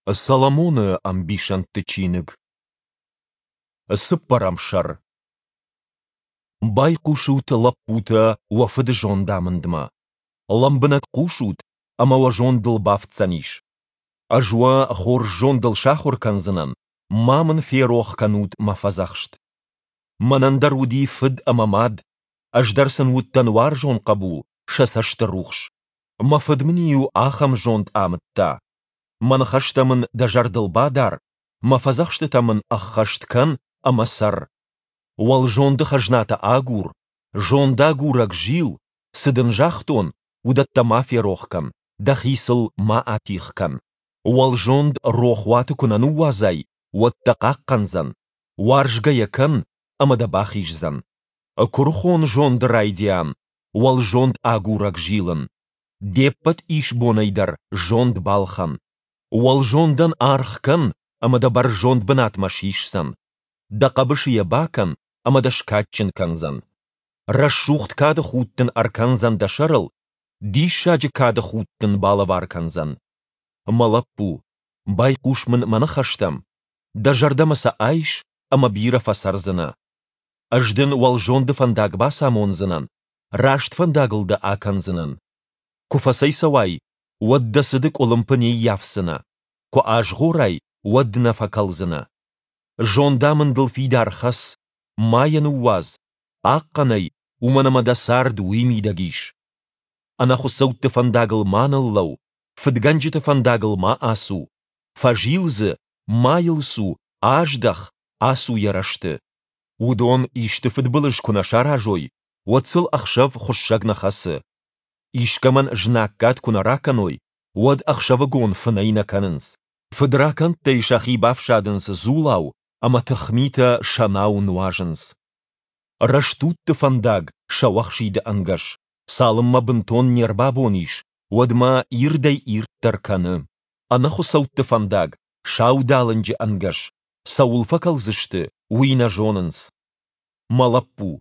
Соломоны ӕмбисӕндты чиныг. Цыппӕрӕм сӕр. Байхъусут, лӕппутӕ, уӕ фыды зондамындмӕ. Лӕмбынӕг хъусут, ӕмӕ уӕ зондыл бафтдзӕнис. Ӕз уӕ хорз зондыл сахуыр кӕндзынӕн, ма мын ферох кӕнут мӕ фӕдзӕхст. Мӕнӕн дӕр уыди фыд ӕмӕ мад, ӕз дӕр сын уыдтӕн уарзон хъӕбул, сӕ цӕсты рухс. Мӕ фыд мын-иу ахӕм зонд амыдта: Мӕ ныхӕстӕ мын дӕ зӕрдыл бадар, мӕ фӕдзӕхстытӕ мын ӕххӕст кӕн ӕмӕ цӕр. Уӕлзонды хӕзнатӕ агур, зондагурӕг зил, цы дын загътон, уыдӕттӕ ма ферох кӕн, дӕхи сыл ма атигъ кӕн. Уӕлзонд рохуаты куы нӕ ныууадзай, уӕд дӕ хъахъхъӕндзӕн, уарзгӕ йӕ кӕн, ӕмӕ дӕ бахиздзӕн. Куырыхон зонды райдиан, уӕлзонд агурӕг зилын. Де ппӕт исбонӕй дӕр зонд балхӕн. Уӕлзондӕн аргъ кӕн, ӕмӕ дӕ бӕрзонд бынатмӕ сисдзӕн. Дӕ хъӕбысы йӕ бакӕн, ӕмӕ дӕ скадджын кӕндзӕн. Рӕсугъд кады худ дын ӕркӕндзӕн дӕ сӕрыл, диссаджы кады худ дын балӕвар кӕндзӕн. Мӕ лӕппу, байхъус мын мӕ ныхӕстӕм, дӕ зӕрдӕмӕ сӕ айс ӕмӕ бирӕ фӕцӕрдзынӕ. Ӕз дын уӕлзонды фӕндаг бацамондзынӕн, раст фӕндагыл дӕ акӕндзынӕн. Куы фӕцӕйцӕуай, уӕд дӕ цыды къуылымпы не ййафдзынӕ, куы азгъорай, уӕд нӕ фӕкӕлдзынӕ. Зондамындыл фидар хӕц, ма йӕ ныууадз, хъахъхъӕн ӕй, уымӕн ӕмӕ дӕ цард уый мидӕг ис. Ӕнӕхуыцӕутты фӕндагыл ма ныллӕуу, фыдгӕнджыты фӕндагыл ма ацу, фӕзил дзы, ма йыл цу, аздӕх, ацу йӕ рӕзты. Уыдон исты фыдбылыз куы нӕ саразой, уӕд сыл ӕхсӕв хуыссӕг нӕ хӕцы. Искӕмӕн знаггад куы нӕ ракӕной, уӕд ӕхсӕвыгон фынӕй нӕ кӕнынц. Фыдракӕндтӕй сӕхи бафсадынц дзулау ӕмӕ тыхмитӕ сӕнау нуазынц. Рӕстудты фӕндаг сӕуӕхсиды ӕнгӕс, цалынмӕ бынтон не рбабон ис, уӕдмӕ ирдӕй-ирддӕр кӕны. Ӕнӕхуыцӕутты фӕндаг саудалынджы ӕнгӕс, цӕуыл фӕкӕлдзысты, уый нӕ зонынц. Мӕ лӕппу,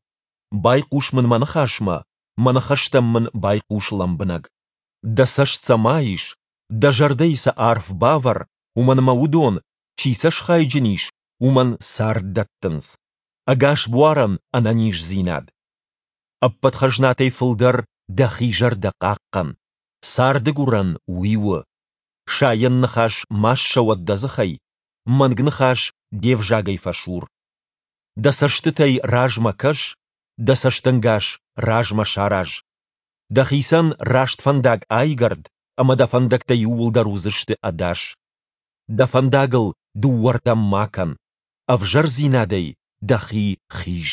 байхъус мын мӕ ныхасмӕ, мӕ ныхӕстӕм мын байхъус лӕмбынӕг. Дӕ цӕст сӕ ма ис, дӕ зӕрдӕйы сӕ арф бавӕр, уымӕн ӕмӕ уыдон, чи сӕ схайджын ис, уымӕн цард дӕттынц, ӕгас буарӕн ӕнӕниздзинад. Ӕппӕт хӕзнатӕй фылдӕр дӕхи зӕрдӕ хъахъхъӕн, царды гуырӕн уый у. Сайӕн ныхас ма ссӕуӕд дӕ дзыхӕй, мӕнг ныхас де взагӕй фӕсур. Дӕ цӕстытӕй размӕ кӕс, дӕ цӕстӕнгас размӕ сараз. Дӕхицӕн раст фӕндаг айгӕрд, ӕмӕ дӕ фӕндӕгтӕ иууылдӕр уыдзысты ӕдас. Дӕ фӕндагыл дыууӕрдӕм ма кӕн, ӕвзӕрдзинадӕй дӕхи хиз.